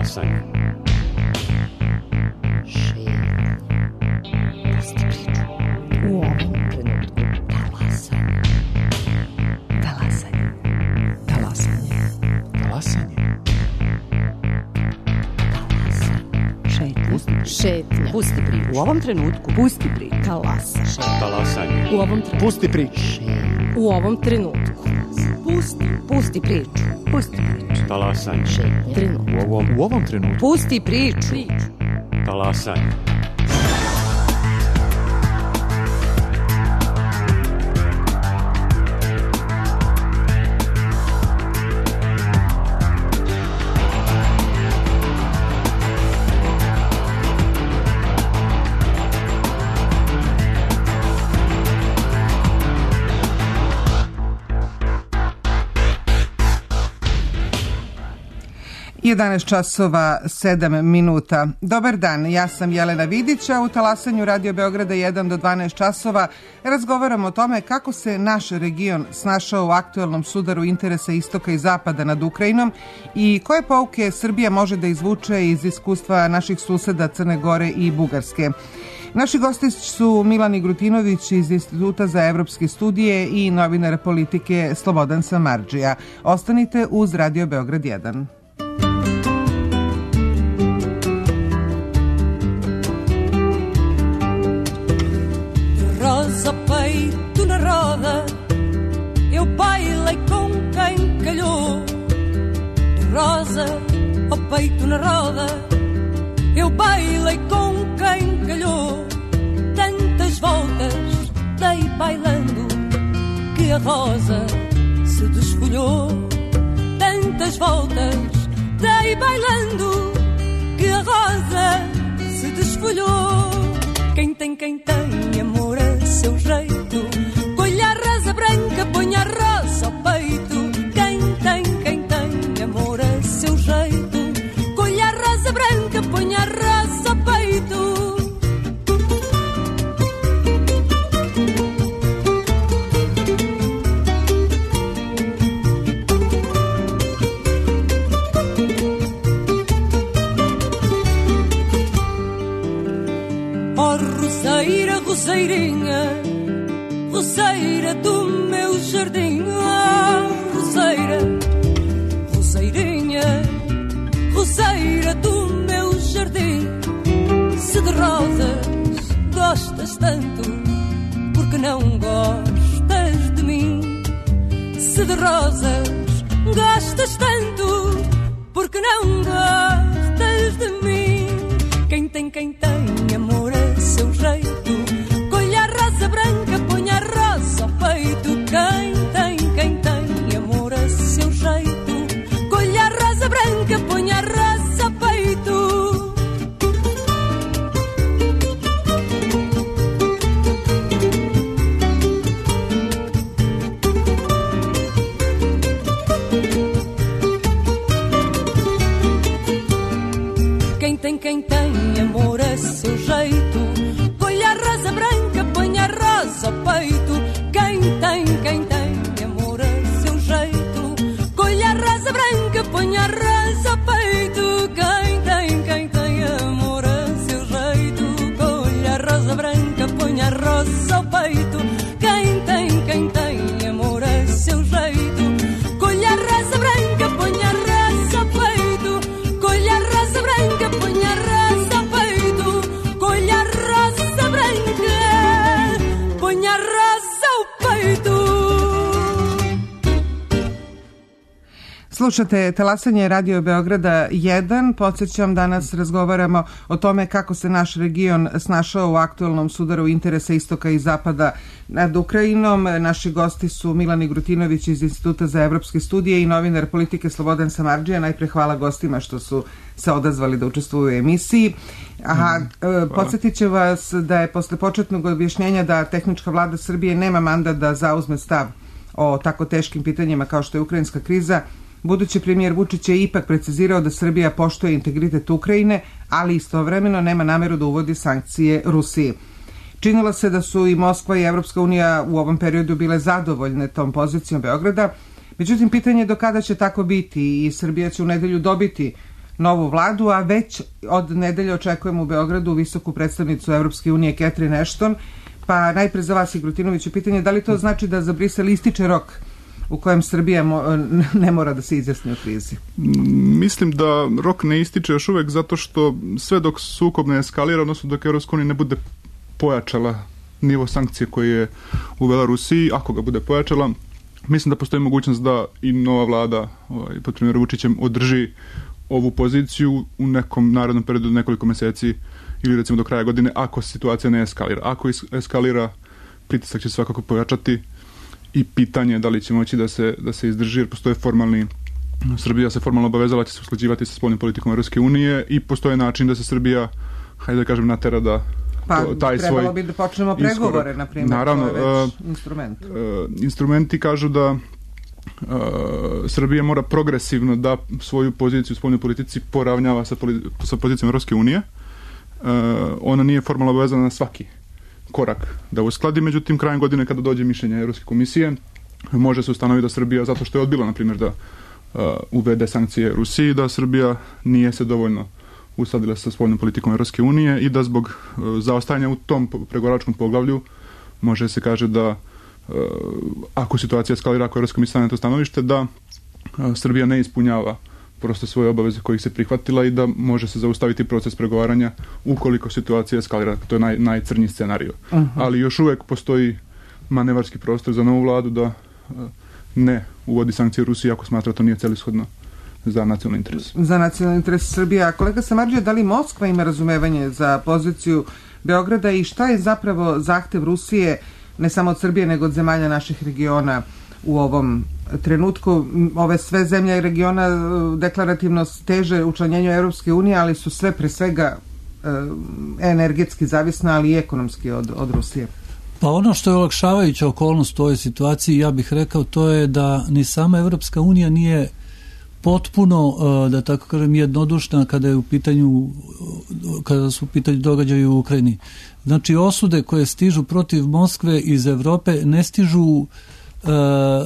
Talasanje. Pusti priču. U ovom trenutku talasanje. Talasanje. Talasanje. Talasanje. Šetnja. Pusti priču. U ovom trenutku. Pusti priču. Talasanje. Talasanje. U ovom trenutku. Pusti priču. U ovom trenutku. Pusti priču. Pusti priču. Talasanje. Trenutku. U ovom trenutku. Pusti priču. Talasanje. Jedanaest časova 7 minuta. Dobar dan, ja sam Jelena Vidić, a u Talasanju Radio Beograda 1 do 12 časova razgovaramo o tome kako se naš region snašao u aktuelnom sudaru interesa istoka i zapada nad Ukrajinom i koje pouke Srbija može da izvuče iz iskustva naših suseda Crne Gore i Bugarske. Naši gosti su Milan Igrutinović iz Instituta za evropske studije i novinar politike Slobodan Samardžija. Ostanite uz Radio Beograd 1. Rosa ao peito na roda, eu bailei com quem calhou. Rosa ao peito na roda, eu bailei com quem calhou. Tantas voltas dei bailando que a rosa se desfolhou. Tantas voltas dei bailando que a rosa se desfolhou. Quem tem amor a seu jeito, colha a rosa branca, põe a rosa ao peito. Quem tem amor a seu jeito, colha a rosa branca, põe a rosa ao peito. Roseirinha, roseira do meu jardim. Oh, roseira, roseirinha, roseira do meu jardim. Se de rosas gostas tanto, porque não gostas de mim? Se de rosas gostas tanto, porque não gostas de mim? Quem tem amor a seu jeito, colha a rosa branca, põe a rosa ao peito. Quem tem amor a seu jeito, colha a rosa branca, põe a rosa ao peito. Quem tem amor a seu jeito, colha a rosa branca, põe a rosa ao peito. Quem tem amor a seu jeito, colha a rosa branca, põe a rosa ao peito. Quem tem amor a seu jeito, colha a rosa branca, põe a rosa ao peito. Quem tem amor a seu jeito, colha a rosa branca, põe a rosa ao peito. Colha a rosa branca, põe a rosa ao peito. Colha a rosa branca, põe a rosa ao peito. Slušate Talasanje Radio Beograda 1. Podsjećam, danas razgovaramo o tome kako se naš region snašao u aktuelnom sudaru interesa istoka i zapada nad Ukrajinom. Naši gosti su Milan Igrutinović iz Instituta za evropske studije i novinar politike Slobodan Samardžija. Najpre hvala gostima što su se odazvali da učestvuju u emisiji. Podsjetit će vas da je posle početnog objašnjenja da tehnička vlada Srbije nema mandat da zauzme stav o tako teškim pitanjima kao što je ukrajinska kriza, budući premijer Vučić je ipak precizirao da Srbija poštuje integritet Ukrajine, ali istovremeno nema nameru da uvodi sankcije Rusiji. Činilo se da su i Moskva i Evropska unija u ovom periodu bile zadovoljne tom pozicijom Beograda, međutim pitanje je do kada će tako biti i Srbija će u nedelju dobiti novu vladu, a već od nedelje očekujemo u Beogradu visoku predstavnicu Evropske unije Catherine Ashton. Pa najpre za vas, Igrutinoviću, pitanje da li to znači da za Brisel ističe rok u kojem Srbija ne mora da se izjasni o krizi? Mislim da rok ne ističe još uvek zato što sve dok sukob ne eskalira, odnosno dok Evropska unija ne bude pojačala nivo sankcije koje je uvela Rusiji, ako ga bude pojačala, mislim da postoji mogućnost da i nova vlada pod premijerom Vučićem održi ovu poziciju u nekom narednom periodu nekoliko meseci ili recimo do kraja godine, ako situacija ne eskalira. Ako eskalira, pritisak će svakako pojačati i pitanje je da li će moći da se izdrži, jer postoje Srbija se formalno obavezala će se usklađivati sa spoljnom politikom Evropske unije i postoje način da se Srbija, hajde da kažem, natera da taj svoj... Trebalo bi da počnemo pregovore, na primjer, naravno, to je već instrument. Instrumenti kažu da Srbija mora progresivno da svoju poziciju u spoljnoj politici poravnjava sa pozicijom Evropske unije. Ona nije formalno obavezana na svaki korak da uskladi, međutim krajem godine kada dođe mišljenje Evropske komisije može se ustanoviti da Srbija, zato što je odbila na primjer da uvede sankcije Rusiji, da Srbija nije se dovoljno uskladila sa spoljnom politikom Evropske unije i da zbog zaostajanja u tom pregovaračkom poglavlju može se kaže da ako situacija eskalira, ako Evropska komisija stane na to stanovište, da Srbija ne ispunjava prosto svoje obaveze kojih se prihvatila i da može se zaustaviti proces pregovaranja ukoliko situacija eskalira. To je najcrnji scenario. Ali još uvek postoji manevarski prostor za novu vladu da ne uvodi sankcije Rusiji ako smatra to nije celishodno za nacionalni interes. Za nacionalni interes Srbije. Kolega Samardžija, da li Moskva ima razumevanje za poziciju Beograda i šta je zapravo zahtev Rusije, ne samo od Srbije, nego od zemalja naših regiona u ovom trenutku? Ove sve zemlje regiona deklarativno teže učlanjenju Evropske unije, ali su sve pre svega energetski zavisne, ali i ekonomski od Rusije. Pa ono što je olakšavajuća okolnost u ovoj situaciji, ja bih rekao, to je da ni sama Evropska unija nije potpuno, da tako kažem, jednodušna kada su u pitanju događaji u Ukrajini. Znači, osude koje stižu protiv Moskve iz Evrope ne stižu,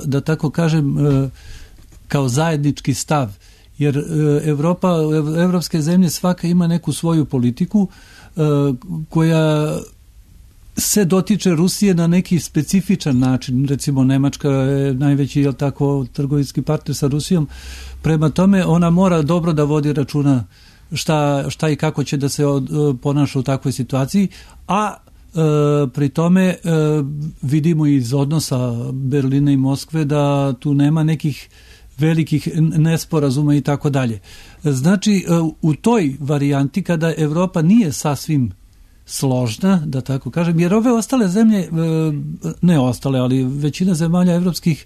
da tako kažem, kao zajednički stav, jer evropske zemlje svaka ima neku svoju politiku koja se dotiče Rusije na neki specifičan način. Recimo, Nemačka je najveći, jel tako, trgovinski partner sa Rusijom. Prema tome, ona mora dobro da vodi računa šta i kako će da se ponaša u takvoj situaciji, a pri tome vidimo iz odnosa Berlina i Moskve da tu nema nekih velikih nesporazuma i tako dalje. Znači, u toj varijanti kada Evropa nije sasvim složna, da tako kažem, jer ove ostale zemlje, ne ostale, ali većina zemalja evropskih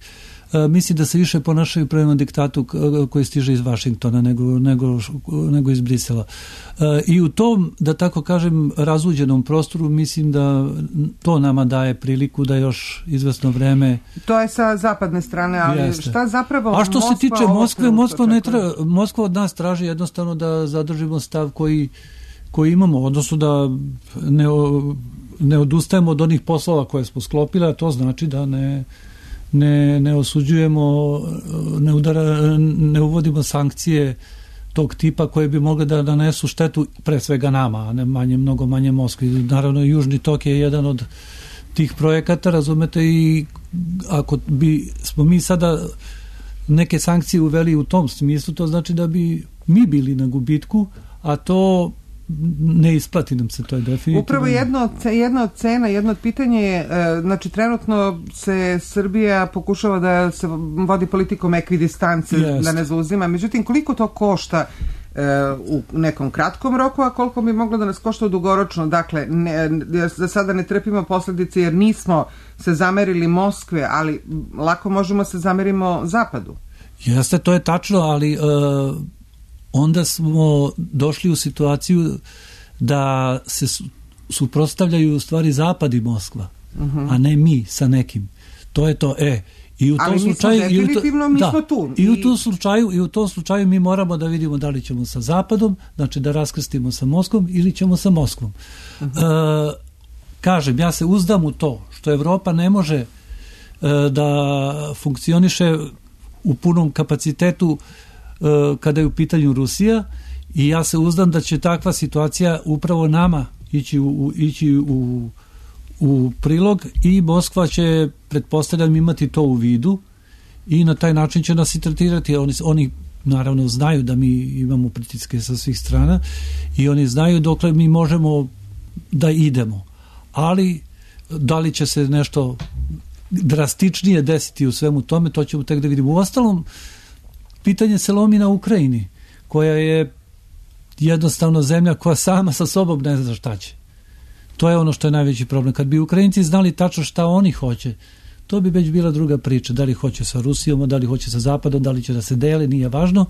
misli da se više ponašaju prema diktatu koji stiže iz Vašingtona nego iz Brisela. I u tom, da tako kažem, razuđenom prostoru mislim da to nama daje priliku da još izvesno vreme... To je sa zapadne strane, ali jeste. Šta zapravo... A što se tiče Moskve, Moskva od nas traži jednostavno da zadržimo stav koji imamo, odnosno da ne odustajemo od onih poslova koje smo sklopili, a to znači da ne osuđujemo, ne uvodimo sankcije tog tipa koje bi mogle da nanesu štetu pre svega nama, a ne mnogo manje Moskvi. Naravno, Južni tok je jedan od tih projekata, razumete, i ako smo mi sada neke sankcije uveli u tom smislu, to znači da bi mi bili na gubitku, a to ne isplati nam se, to je definitivno. Upravo jedna od cena, jedno od pitanja je, znači trenutno se Srbija pokušava da se vodi politikom ekvidistance, da ne zauzima, međutim koliko to košta u nekom kratkom roku, a koliko bi moglo da nas košta dugoročno? Dakle, za sada ne trpimo posljedice jer nismo se zamerili Moskve, ali lako možemo se zamerimo Zapadu. Jeste, to je tačno, ali onda smo došli u situaciju da se suprotstavljaju u stvari Zapad i Moskva, a ne mi sa nekim. To je to, I u tom slučaju, I u tom slučaju mi moramo da vidimo da li ćemo sa Zapadom, znači da raskrstimo sa Moskvom ili ćemo sa Moskvom. Kažem, ja se uzdam u to što Evropa ne može da funkcioniše u punom kapacitetu kada je u pitanju Rusija, I ja se uzdam da će takva situacija upravo nama ići u prilog i Moskva će, pretpostavljam, imati to u vidu i na taj način će nas i tretirati. Oni naravno znaju da mi imamo pritiske sa svih strana i oni znaju dokle mi možemo da idemo. Ali da li će se nešto drastičnije desiti u svemu tome, to ćemo tek da vidimo. Uostalom, pitanje se lomi na Ukrajini, koja je jednostavno zemlja koja sama sa sobom ne zna šta će. To je ono što je najveći problem. Kad bi Ukrajinci znali tačno šta oni hoće, to bi već bila druga priča. Da li hoće sa Rusijom, da li hoće sa Zapadom, da li će da se dele, nije važno.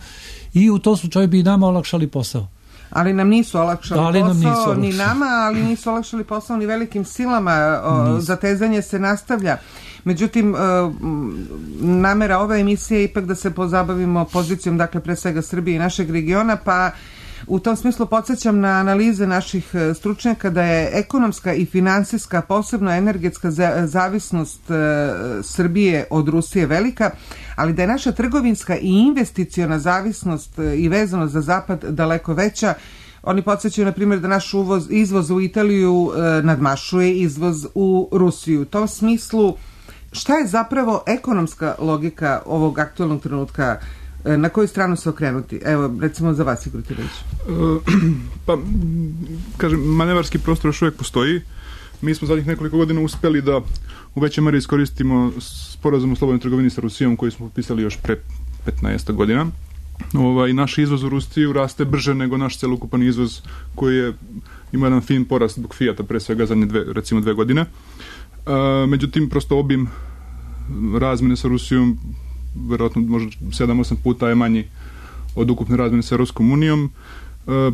I u tom slučaju bi i nama olakšali posao. Ali nam nisu olakšali posao, ni nama, ali nisu olakšali posao ni velikim silama. Zatezanje se nastavlja. Međutim, namera ove emisije je ipak da se pozabavimo pozicijom, dakle, pre svega Srbije i našeg regiona, pa u tom smislu podsjećam na analize naših stručnjaka da je ekonomska i finansijska, posebno energetska zavisnost Srbije od Rusije velika, ali da je naša trgovinska i investiciona zavisnost i vezanost za Zapad daleko veća. Oni podsjećaju, na primjer, da naš izvoz u Italiju nadmašuje izvoz u Rusiju. U tom smislu, šta je zapravo ekonomska logika ovog aktualnog trenutka? Na koju stranu se okrenuti? Evo, recimo za vas, Igor Tirović. Pa, kažem, manevarski prostor još uvijek postoji. Mi smo zadnjih nekoliko godina uspjeli da u većoj meri iskoristimo sporazum o slobodnoj trgovini sa Rusijom koji smo potpisali još pre 15 godina. Naš izvoz u Rusiju raste brže nego naš celokupan izvoz koji je ima jedan fin porast zbog Fijata pre svega zadnje dve godine. Međutim, prosto obim razmene sa Rusijom verovatno možda 7-8 puta je manji od ukupne razmene sa Europskom unijom.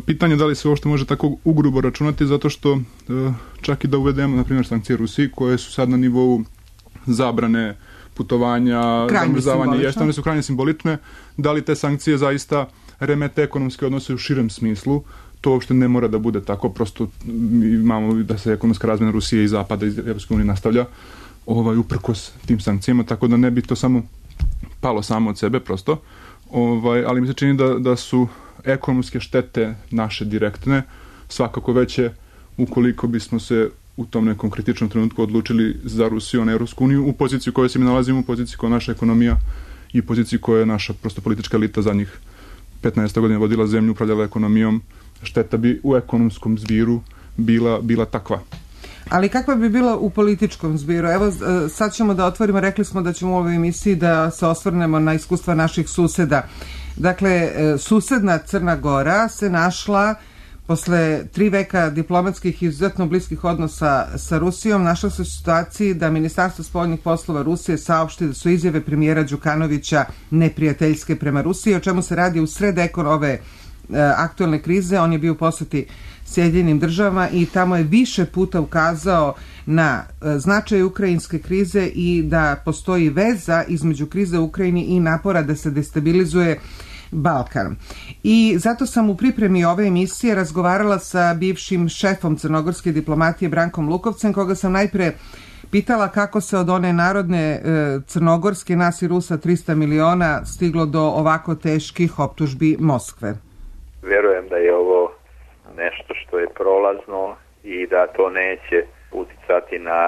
Pitanje da li se uopšte može tako ugrubo računati, zato što čak i da uvedemo, na primjer, sankcije Rusiji, koje su sad na nivou zabrane putovanja, zamrzavanja ješta, one su krajnje simbolične, da li te sankcije zaista remete ekonomske odnose u širem smislu, to uopšte ne mora da bude tako, prosto imamo da se ekonomska razmena Rusije i Zapada iz Europske unije nastavlja uprkos tim sankcijama, tako da ne bi to samo palo samo od sebe prosto, ali mi se čini da su ekonomske štete naše direktne svakako veće ukoliko bismo se u tom nekom kritičnom trenutku odlučili za Rusiju, na Europsku uniju, u poziciji u kojoj se mi nalazimo, u poziciji koja je naša ekonomija i poziciji koja je naša prosto politička elita zadnjih 15 godina vodila zemlju, upravljala ekonomijom, šteta bi u ekonomskom zbiru bila takva. Ali kakva bi bila u političkom zbiru? Evo, sad ćemo da otvorimo, rekli smo da ćemo u ovoj emisiji da se osvrnemo na iskustva naših suseda. Dakle, susedna Crna Gora se našla posle 3 veka diplomatskih i izuzetno bliskih odnosa sa Rusijom, našla se u situaciji da Ministarstvo spoljnih poslova Rusije saopšti da su izjave premijera Đukanovića neprijateljske prema Rusiji, o čemu se radi u sred ove aktualne krize. On je bio u poseti Sjedinjenim državama i tamo je više puta ukazao na značaj ukrajinske krize i da postoji veza između krize u Ukrajini i napora da se destabilizuje Balkan. I zato sam u pripremi ove emisije razgovarala sa bivšim šefom crnogorske diplomatije Brankom Lukovcem, koga sam najpre pitala kako se od one narodne crnogorske, nas i Rusa 300 miliona, stiglo do ovako teških optužbi Moskve. Vjerujem da je ovo nešto što je prolazno i da to neće uticati na,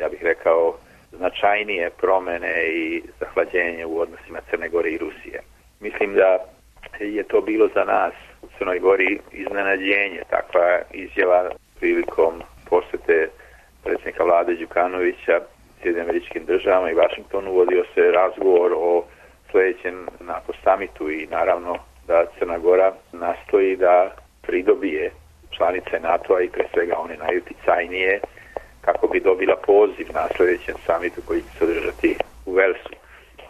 ja bih rekao, značajnije promjene i zahlađenje u odnosima Crne Gore i Rusije. Mislim da je to bilo za nas u Crnoj Gori iznenađenje, takva izjava prilikom posjete predsjednika vlade Đukanovića Sjedinjenim Američkim Državama i Vašingtonu. Vodio se razgovor o sljedećem NATO samitu i naravno da Crna Gora nastoji da pridobije članice NATO-a i pre svega one najuticajnije kako bi dobila poziv na sljedećem samitu koji će se održati u Velsu.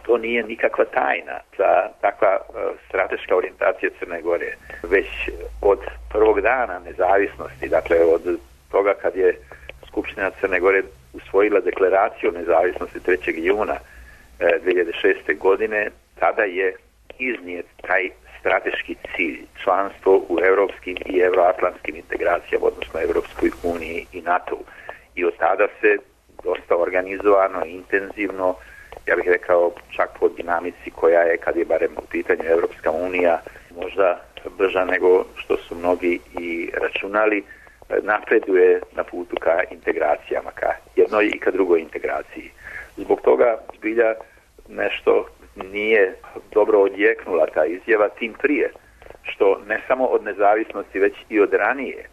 To nije nikakva tajna za takva strateška orijentacija Crne Gore. Već od prvog dana nezavisnosti, dakle od toga kad je Skupština Crne Gore usvojila deklaraciju o nezavisnosti 3. juna 2006. godine, tada je iznijet taj strateški cilj, članstvo u europskim i euroatlantskim integracijama, odnosno Europskoj uniji i NATO. I od tada se dosta organizovano, intenzivno, ja bih rekao čak po dinamici koja je, kad je barem u pitanju Europska unija, možda brža nego što su mnogi i računali, napreduje na putu ka integracijama, ka jednoj i ka drugoj integraciji. Zbog toga zbilja nešto nije dobro odjeknula ta izjava, tim prije što ne samo od nezavisnosti, već i od ranije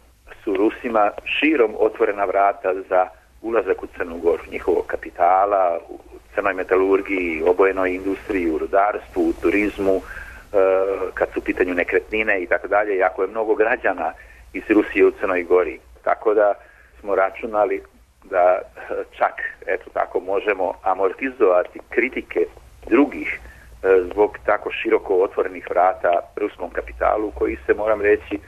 su Rusima širom otvorena vrata za ulazak u Crnu Goru, njihovog kapitala, u crnoj metalurgiji, obojenoj industriji, u rudarstvu, u turizmu, kad su u pitanju nekretnine i tako dalje, jako je mnogo građana iz Rusije u Crnoj Gori. Tako da smo računali da čak, eto tako, možemo amortizovati kritike drugih zbog tako široko otvorenih vrata ruskom kapitalu, koji se, moram reći,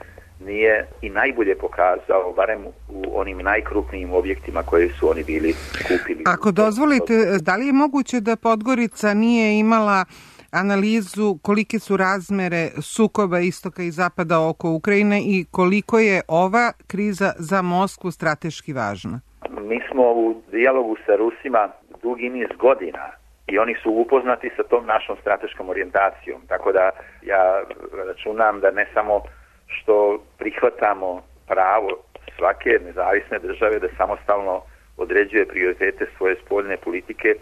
nije i najbolje pokazao, barem u onim najkrupnijim objektima koje su oni bili kupili. Ako dozvolite, da li je moguće da Podgorica nije imala analizu kolike su razmere sukoba istoka i zapada oko Ukrajine i koliko je ova kriza za Moskvu strateški važna? Mi smo u dijalogu sa Rusima dugi niz godina i oni su upoznati sa tom našom strateškom orijentacijom. Tako da ja računam da ne samo što prihvatamo pravo svake nezavisne države da samostalno određuje prioritete svoje spoljne politike,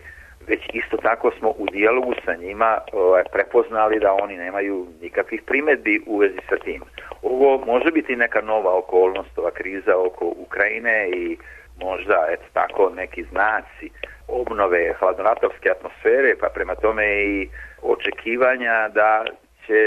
već isto tako smo u dijalogu sa njima prepoznali da oni nemaju nikakvih primjedbi u vezi sa tim. Ovo može biti neka nova okolnost, ova kriza oko Ukrajine i možda tako neki znaci obnove hladnoratovske atmosfere, pa prema tome i očekivanja da će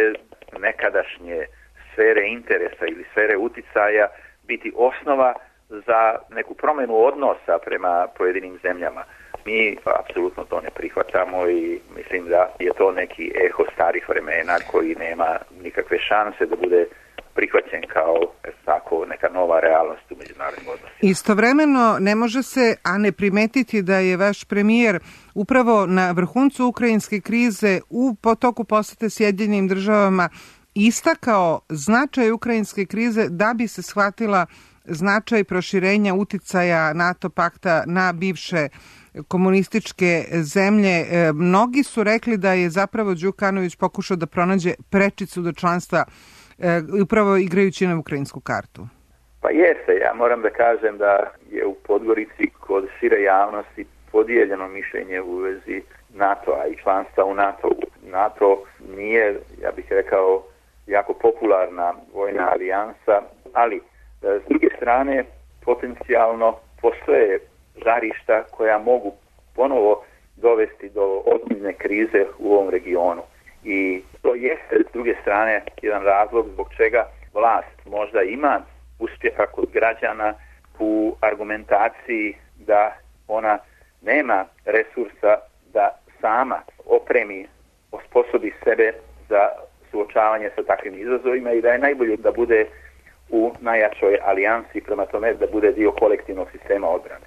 nekadašnje sfere interesa ili sfere uticaja biti osnova za neku promjenu odnosa prema pojedinim zemljama. Mi apsolutno to ne prihvatamo i mislim da je to neki eho starih vremena koji nema nikakve šanse da bude prihvaćen kao tako neka nova realnost u međunarodnim odnosima. Istovremeno ne može se, a ne primetiti da je vaš premijer upravo na vrhuncu ukrajinske krize u potoku posete Sjedinjenim državama istakao značaj ukrajinske krize da bi se shvatila značaj proširenja uticaja NATO pakta na bivše komunističke zemlje. Mnogi su rekli da je zapravo Đukanović pokušao da pronađe prečicu do članstva upravo igrajući na ukrajinsku kartu. Pa jeste, ja moram da kažem da je u Podgorici kod šire javnosti podijeljeno mišljenje u vezi NATO-a i članstva u NATO-u. NATO nije, ja bih rekao, jako popularna vojna alijansa, ali s druge strane potencijalno postoje žarišta koja mogu ponovo dovesti do ozbiljne krize u ovom regionu. I to jeste s druge strane jedan razlog zbog čega vlast možda ima uspjeha kod građana u argumentaciji da ona nema resursa da sama opremi, osposobi sebe za suočavanje sa takvim izazovima i da je najbolje da bude u najjačoj alijansi, prema tome da bude dio kolektivnog sistema odbrane.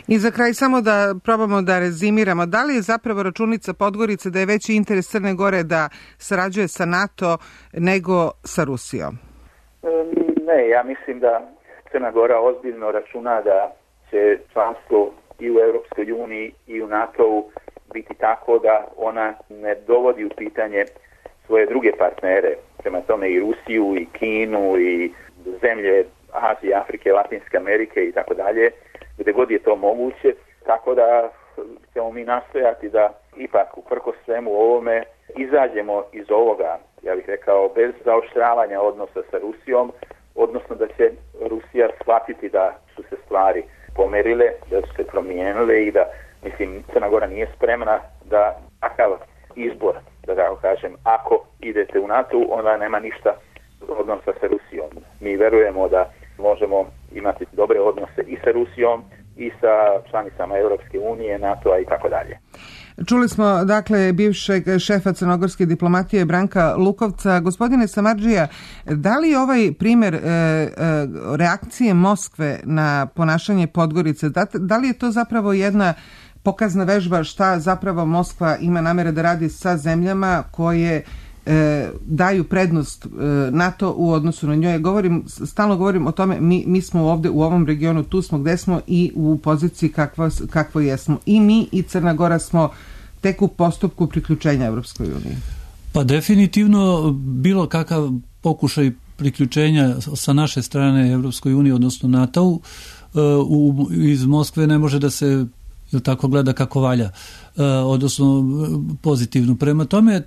I za kraj samo da probamo da rezimiramo, da li je zapravo računica Podgorice da je veći interes Crne Gore da sarađuje sa NATO nego sa Rusijom? Ne, ja mislim da Crna Gora ozbiljno računa da će članstvo i u Europskoj uniji i u NATO-u biti tako da ona ne dovodi u pitanje svoje druge partnere, prema tome i Rusiju i Kinu i zemlje Azije, Afrike, Latinske Amerike i tako dalje, gdje god je to moguće, tako da ćemo mi nastojati da ipak uprkos svemu ovome izađemo iz ovoga, ja bih rekao, bez zaoštravanja odnosa sa Rusijom, odnosno da će Rusija shvatiti da su se stvari pomerile, da su se promijenile i da, mislim, Crna Gora nije spremna da takav izbor, da tako kažem, ako idete u NATO, onda nema ništa odnosa sa Rusijom. Mi verujemo da možemo imati dobre odnose i sa Rusijom i sa članicama Europske unije, NATO-a i tako dalje. Čuli smo, dakle, bivšeg šefa crnogorske diplomatije Branka Lukovca. Gospodine Samardžija, da li ovaj primjer reakcije Moskve na ponašanje Podgorice, da li je to zapravo jedna pokazna vežba šta zapravo Moskva ima namere da radi sa zemljama koje daju prednost NATO u odnosu na njoj? Stalno govorim o tome, mi smo ovdje u ovom regionu, tu smo gde smo i u poziciji kakvo jesmo. I mi i Crna Gora smo tek u postupku priključenja Evropskoj uniji. Pa definitivno bilo kakav pokušaj priključenja sa naše strane Evropskoj uniji, odnosno NATO-u, iz Moskve ne može da se tako gleda kako valja, odnosno pozitivno. Prema tome,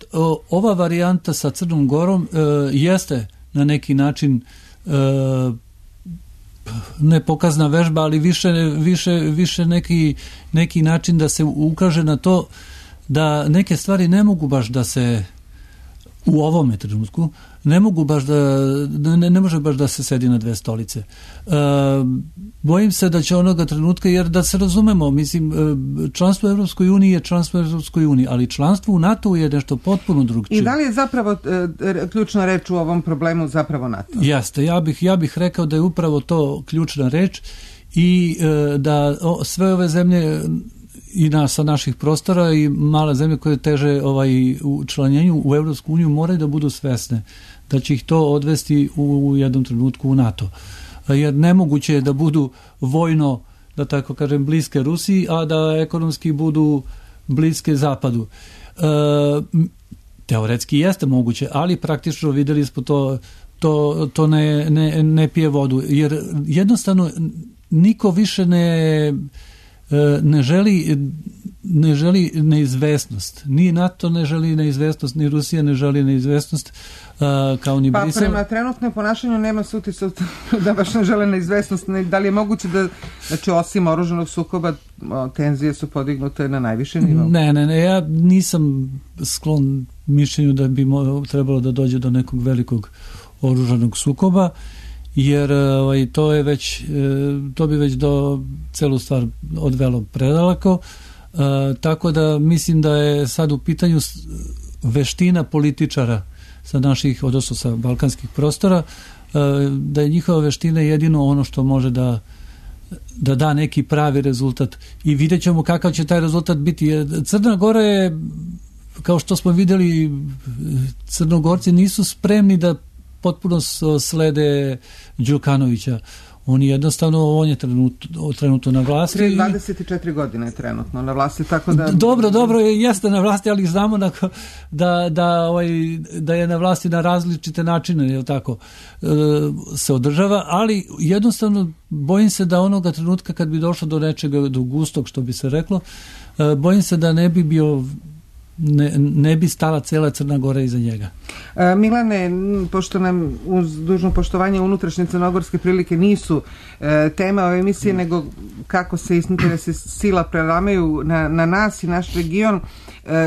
ova varijanta sa Crnom Gorom jeste na neki način ne pokazna vežba, ali više neki način da se ukaže na to da neke stvari ne mogu baš da se u ovome trenutku ne može baš da se sedi na dve stolice. Bojim se da će onoga trenutka, jer da se razumemo, mislim, članstvo u Evropskoj uniji je članstvo u Evropskoj uniji, ali članstvo u NATO je nešto potpuno drugčije. I da li je zapravo ključna reč u ovom problemu zapravo NATO? Jeste, ja bih rekao da je upravo to ključna reč i da sve ove zemlje i sa naših prostora i male zemlje koje teže u članjenju u Evropsku uniju moraju da budu svesne da će ih to odvesti u jednom trenutku u NATO. Jer nemoguće je da budu vojno, da tako kažem, bliske Rusiji, a da ekonomski budu bliske Zapadu. Teoretski jeste moguće, ali praktično videli smo to ne pije vodu. Jer jednostavno niko više ne želi neizvesnost. Ni NATO ne želi neizvesnost, ni Rusija ne želi neizvesnost, kao ni Brisel. Pa prema trenutnom ponašanju nema se utisak da baš ne žele neizvesnost. Da li je moguće da, znači, osim oružanog sukoba, tenzije su podignute na najviše nivou? Ne, ja nisam sklon mišljenju da bi trebalo da dođe do nekog velikog oružanog sukoba, jer to bi već do celu stvar odvelo predaleko, tako da mislim da je sad u pitanju veština političara sa naših, odnosno sa balkanskih prostora, da je njihova veština jedino ono što može da da neki pravi rezultat i vidjet ćemo kakav će taj rezultat biti. Crna Gora je, kao što smo vidjeli, Crnogorci nisu spremni da potpuno slede Đukanovića. On je trenutno na vlasti. 24 godine je trenutno na vlasti, tako da... Dobro, jeste na vlasti, ali znamo da je na vlasti na različite načine, je tako, se održava, ali jednostavno bojim se da onoga trenutka kad bi došlo do nečega, do gustog, što bi se reklo, bojim se da ne bi stala cela Crna Gora iza njega. Milane, pošto nam uz dužno poštovanje unutrašnje crnogorske prilike nisu tema ove emisije, nego kako se interesi sila prelamaju na nas i naš region,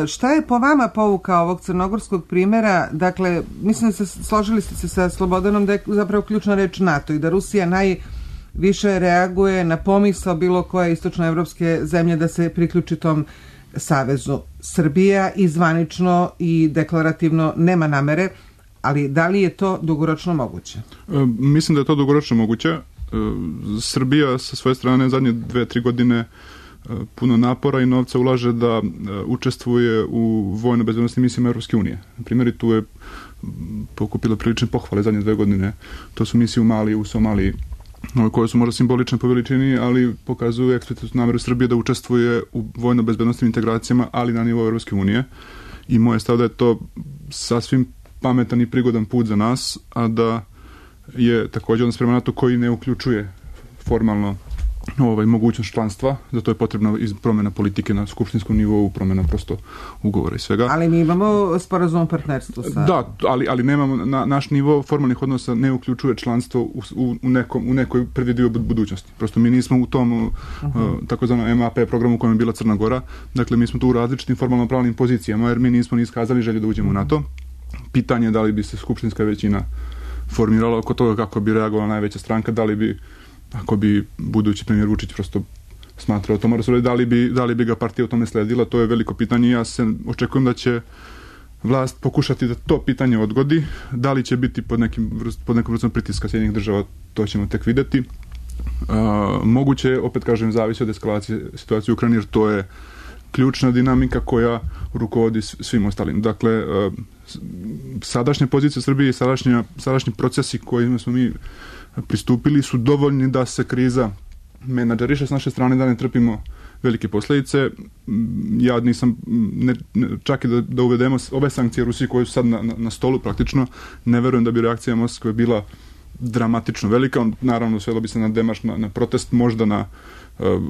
šta je po vama pouka ovog crnogorskog primjera? Dakle, mislim da složili ste se sa Slobodanom da je zapravo ključna reč NATO i da Rusija najviše reaguje na pomisao bilo koje istočnoevropske zemlje da se priključi tom savezu. Srbija i zvanično i deklarativno nema namere, ali da li je to dugoročno moguće? Mislim da je to dugoročno moguće. Srbija sa svoje strane zadnje 2-3 godine puno napora i novca ulaže da učestvuje u vojno-bezbednosnim misijama Evropske unije. Na primjer, i tu je pokupila prilične pohvale zadnje 2 godine. To su misije u Maliji, u Somaliji, koje su možda simbolične po veličini, ali pokazuju eksplicitnu nameru Srbije da učestvuje u vojno-bezbednosnim integracijama, ali na nivou Evropske unije. I moje stav da je to sasvim pametan i prigodan put za nas, a da je također odnos prema NATO koji ne uključuje formalno mogućnost članstva, zato je potrebna promjena politike na skupštinskom nivou, promjena prosto ugovora i svega. Ali mi imamo sporazum o partnerstvu sa... Da, ali nemamo, naš nivo formalnih odnosa ne uključuje članstvo u nekoj predvidivoj budućnosti. Prosto mi nismo u tom takozvanom MAP programu u kojem je bila Crna Gora, dakle mi smo tu u različitim formalno-pravnim pozicijama, jer mi nismo ni iskazali želju da uđemo u NATO. Pitanje je da li bi se skupštinska većina formirala oko toga kako bi reagovala najveća stranka, da li bi, ako bi budući premijer Vučić prosto smatrao to mora se, da li bi ga partija u tome sledila, to je veliko pitanje. Ja se očekujem da će vlast pokušati da to pitanje odgodi. Da li će biti pod nekom vrstom pritiska Sjedinjenih država, to ćemo tek vidjeti. Moguće, opet kažem, zavisi od eskalacije situacije u Ukrajini, jer to je ključna dinamika koja rukovodi svim ostalim. Dakle, sadašnja pozicija Srbije i sadašnji procesi kojima smo mi pristupili su dovoljni da se kriza menadžeriše s naše strane, da ne trpimo velike posljedice. Ja nisam, čak i da uvedemo ove sankcije Rusiji koje su sad na stolu praktično, ne verujem da bi reakcija Moskve bila dramatično velika. Naravno, svelo bi se na demarš, na protest, možda na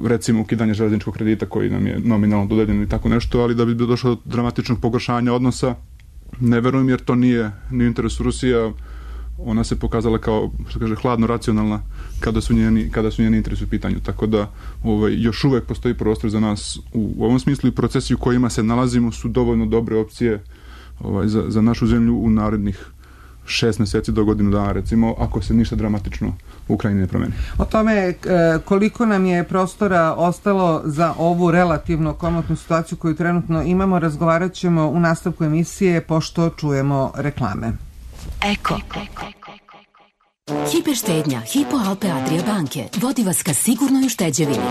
recimo ukidanje železničkog kredita koji nam je nominalno dodeljen i tako nešto, ali da bi došlo do dramatičnog pogoršanja odnosa, ne verujem, jer to nije u interesu Rusije. Ona se pokazala kao, što kaže, hladno racionalna kada su njeni interesi u pitanju. Tako da još uvek postoji prostor za nas u ovom smislu i procesi u kojima se nalazimo su dovoljno dobre opcije za našu zemlju u narednih 6 mjeseci do godinu dana, recimo, ako se ništa dramatično u Ukrajini ne promeni. O tome koliko nam je prostora ostalo za ovu relativno komotnu situaciju koju trenutno imamo, razgovarat ćemo u nastavku emisije pošto čujemo reklame. Eko. Hiperštednja Hypo Alpe Adria banke vodi vas ka sigurnoj ušteđevini.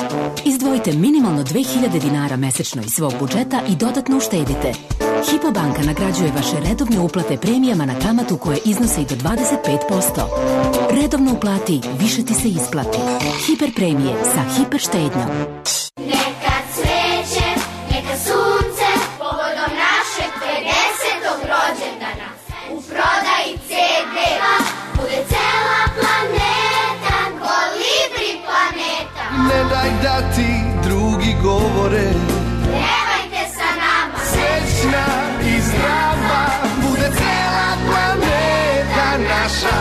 Izdvojite minimalno 2000 dinara mesečno iz svog budžeta i dodatno uštedite. Hypo banka nagrađuje vaše redovne uplate premijama na kamatu koje iznose i do 25%. Redovno uplati, više ti se isplati. Hiper premije sa hiperštednjom. Neka cveće, neka sunce, povodom našeg 50. rođendana. U prodaji CD-a bude cela planeta, Kolibri planeta. Ne daj da ti drugi govore, Pevajte sa nama, srećna i zdrava, bude cela planeta naša.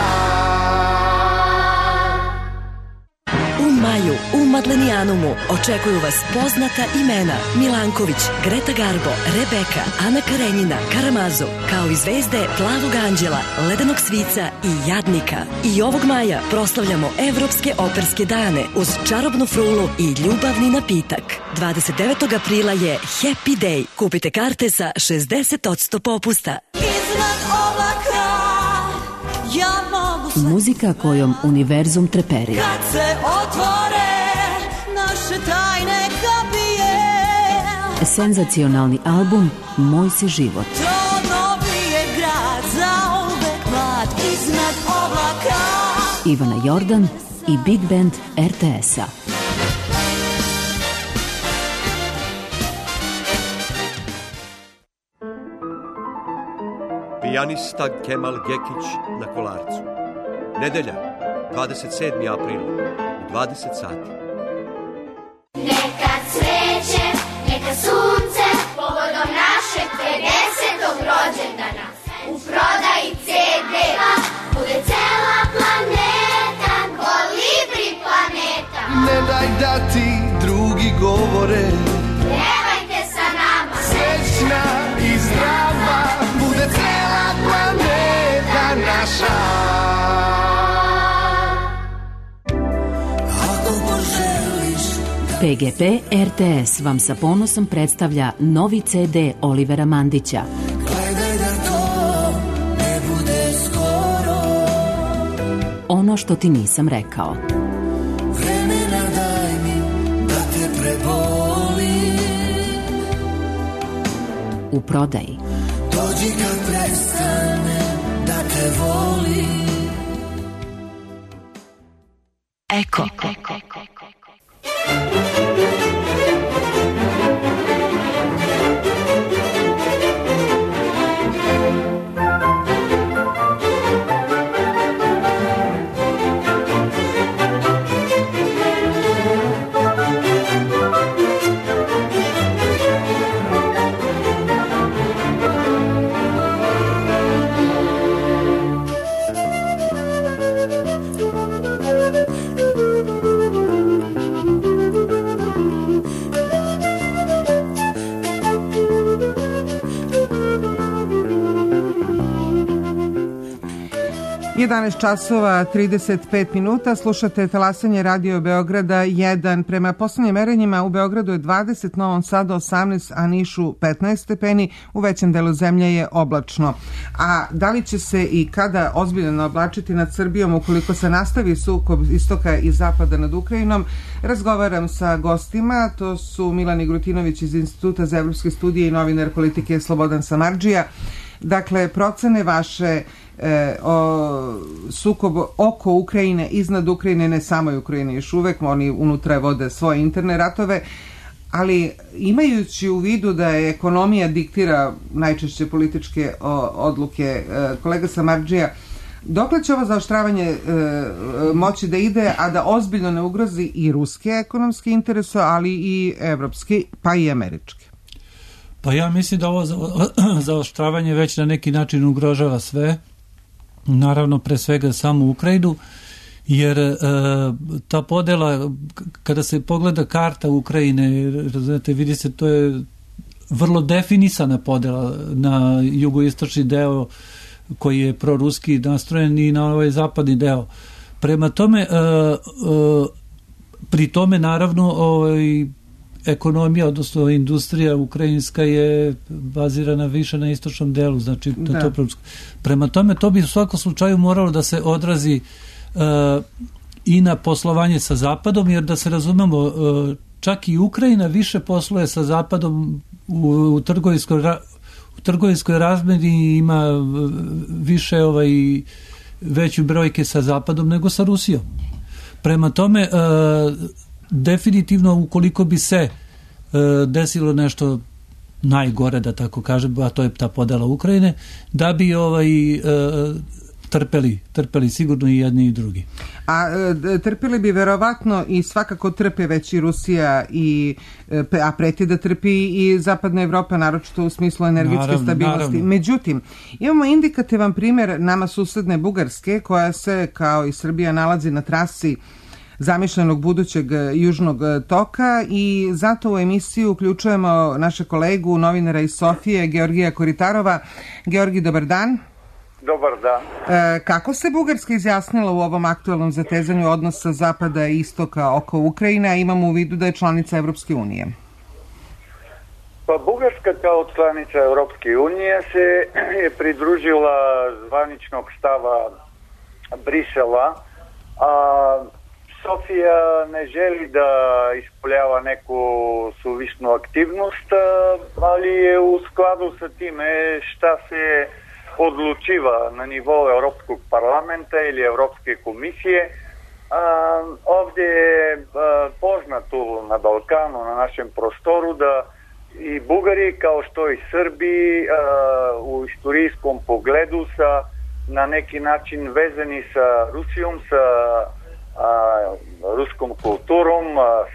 U maju u Madlenijanumu očekuju vas poznata imena Milanković, Greta Garbo, Rebeka, Ana Karenjina, Karamazo, kao i zvezde Plavog anđela, Ledenog svica i Jadnika. I ovog maja proslavljamo Evropske operske dane uz čarobnu frulu i ljubavni napitak. 29. aprila je Happy Day. Kupite karte sa 60% popusta. Iznad oblaka ja mogu sve. Muzika kojom univerzum treperi. Kad se otvore naše tajne kapije, Senzacionalni album Moj si život. to novi je grad, zauvek mlad iznad oblaka. Ivana Jordan i Big Band RTS-a. Pijanista Kemal Gekić na Kolarcu. Nedelja, 27. april, u 20 sati. neka cveće, neka sunce, povodom našeg 50. rođendana. U prodaji CD-a bude cela planeta, Kolibri planeta. Ne daj da ti drugi govore, Pevajte sa nama, srećna i zdrava, bude cela planeta naša. Ako poželiš PGP RTS vam sa ponosom predstavlja novi CD Olivera Mandića. gledaj da to ne bude skoro, Ono što ti nisam rekao. vremena daj mi da te prebolim, U prodaji. dođi kad prestane da te volim. Eko. časova 35 minuta, slušate talasanje Radio Beograda 1. Prema poslednjim merenjima u Beogradu je 20, Novom Sadu 18, a Nišu 15 stepeni, u većem delu zemlje je oblačno. A da li će se i kada ozbiljno oblačiti nad Srbijom ukoliko se nastavi sukob istoka i zapada nad Ukrajinom, razgovaram sa gostima, to su Milan Igrutinović iz Instituta za evropske studije i novinar politike Slobodan Samardžija. Dakle, procene vaše o sukob oko Ukrajine, iznad Ukrajine, ne samo Ukrajine još uvek, oni unutra vode svoje interne ratove, ali imajući u vidu da je ekonomija diktira najčešće političke odluke, kolega Samardžija, dokle će ovo zaoštravanje moći da ide, a da ozbiljno ne ugrozi i ruske ekonomske interese, ali i evropske, pa i američke? Pa ja mislim da ovo zaoštravanje već na neki način ugrožava sve, naravno pre svega samu Ukrajinu, jer ta podela, kada se pogleda karta Ukrajine, znate, vidi se, to je vrlo definisana podela na jugoistočni deo koji je proruski nastrojen i na ovaj zapadni deo. Prema tome, pri tome naravno ekonomija, odnosno industrija ukrajinska je bazirana više na istočnom delu, znači to prorusko. Prema tome, to bi u svakom slučaju moralo da se odrazi i na poslovanje sa Zapadom, jer da se razumemo, čak i Ukrajina više posluje sa Zapadom u trgovinskoj razmeni, ima više veću brojke sa Zapadom nego sa Rusijom. Prema tome, definitivno ukoliko bi se desilo nešto najgore, da tako kažem, a to je ta podela Ukrajine, da bi trpeli sigurno i jedni i drugi. A trpeli bi verovatno i svakako trpe već i Rusija, a preti da trpi i Zapadna Evropa, naročito u smislu energetske stabilnosti. Naravno. Međutim, imamo indikativan primjer nama susedne Bugarske, koja se, kao i Srbija, nalazi na trasi zamišljenog budućeg južnog toka, i zato u emisiju uključujemo naše kolegu, novinara iz Sofije, Georgija Koritarova. Georgi, dobar dan. Dobar dan. Kako se Bugarska izjasnila u ovom aktualnom zatezanju odnosa Zapada i Istoka oko Ukrajine, a imamo u vidu da je članica Evropske unije? Pa Bugarska kao članica Evropske unije se je pridružila zvaničnog stava Brisela, a Sofija ne želi da ispoljava neku suvišnu aktivnost, ali je u skladu sa time šta se odlučiva na nivou Evropskog parlamenta ili Evropske komisije. Ovdje je poznato na Balkanu, na našem prostoru, da i Bugari, kao što i Srbi, u istorijskom pogledu na neki način vezani sa Rusijom, sa ruskom kulturom,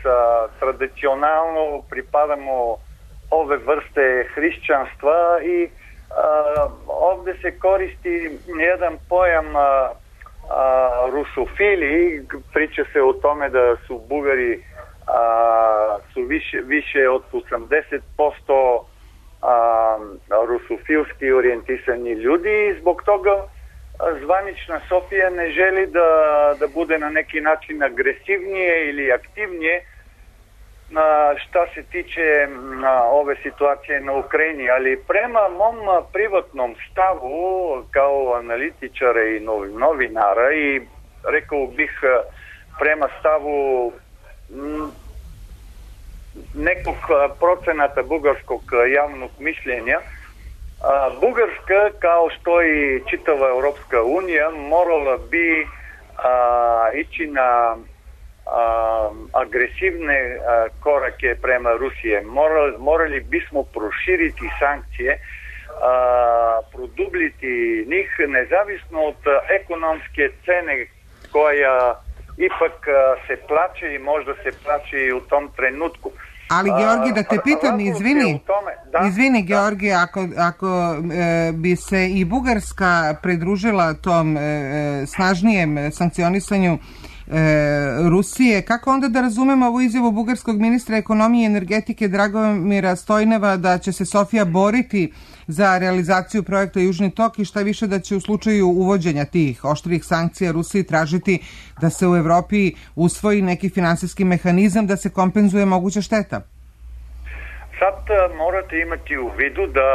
sa tradicionalno pripadamo ove vrste hrišćanstva i ovdje se koristi jedan pojam rusofili. Priča se o tome da su Bugari su više od 80% rusofilski orijentisani ljudi i zbog toga zvanična Sofija ne želi da bude na neki način agresivnije ili aktivnije šta se tiče ove situacije na Ukrajini, ali prema mom privatnom stavu kao analitičara i novinara i rekao bih prema stavu nekog procenata bugarskog javnog mišljenja, Bugarska, kao što i čitava Evropska unija, morala bi ići na agresivne korake prema Rusije. Morali bismo proširiti sankcije, produbljiti njih, nezavisno od ekonomske cene koja ipak se plaće i možda se plaće i u tom trenutku. Ali, Georgi, da te pitam, izvini, Georgi, ako bi se i Bugarska pridružila tom snažnijem sankcionisanju Rusije, kako onda da razumemo ovu izjavu bugarskog ministra ekonomije i energetike Dragomira Stojneva da će se Sofija boriti za realizaciju projekta Južni tok i šta više da će u slučaju uvođenja tih oštrih sankcija Rusiji tražiti da se u Evropi usvoji neki finansijski mehanizam da se kompenzuje moguća šteta? Sad morate imati u vidu da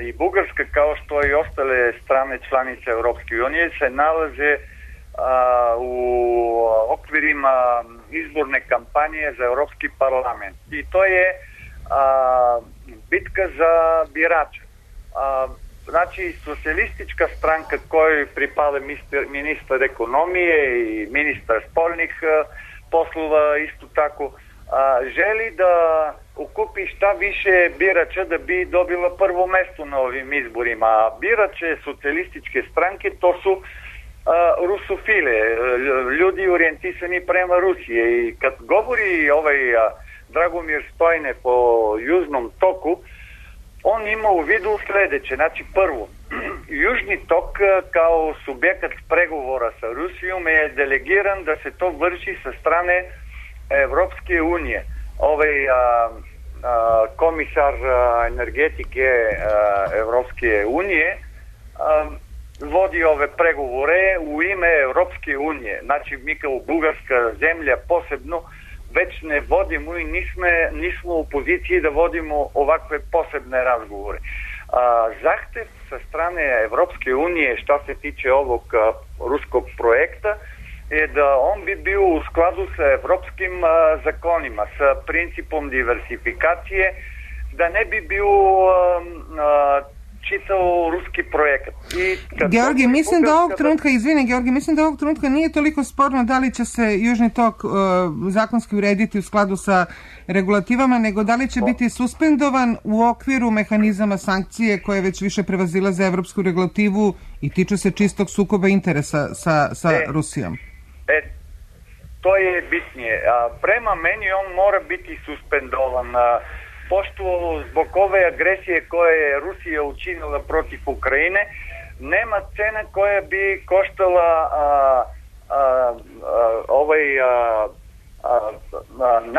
i Bugarska, kao što i ostale strane članice Evropske unije, se nalaze u okvirima izborne kampanje za Evropski parlament. I to je bitka za birače. Znači, socijalistička stranka kojoj pripada ministar ekonomije i ministar spoljnih poslova isto tako želi da ukupi šta više birača da bi dobila prvo mesto na ovim izborima. A birače socijalističke stranke to su rusofile, ljudi orijentisani prema Rusije. I kad govori Dragomir Stojne po Južnom toku, on ima u vidu sledeće. Znači, prvo, Južni tok kao subjekat pregovora sa Rusijom je delegiran da se to vrši sa strane Evropske unije. Komisar energetike Evropske unije vodi ove pregovore u ime Evropske unije. Znači, mi kao bugarska zemlja posebno već ne vodimo i nismo u poziciji da vodimo ovakve posebne razgovore. Zahtev sa strane Evropske unije šta se tiče ovog ruskog projekta je da on bi bio u skladu sa evropskim zakonima, sa principom diversifikacije, da ne bi bio čitao ruski projekat. Georgi, mislim da ovog trenutka nije toliko sporno da li će se Južni tok zakonski urediti u skladu sa regulativama, nego da li će biti suspendovan u okviru mehanizama sankcije koje već više prevazilaze evropsku regulativu i tiču se čistog sukoba interesa sa Rusijom. To je bitnije. Prema meni on mora biti suspendovan. Pošto zbog ove agresije koje je Rusija učinila protiv Ukrajine, nema cena koja bi koštala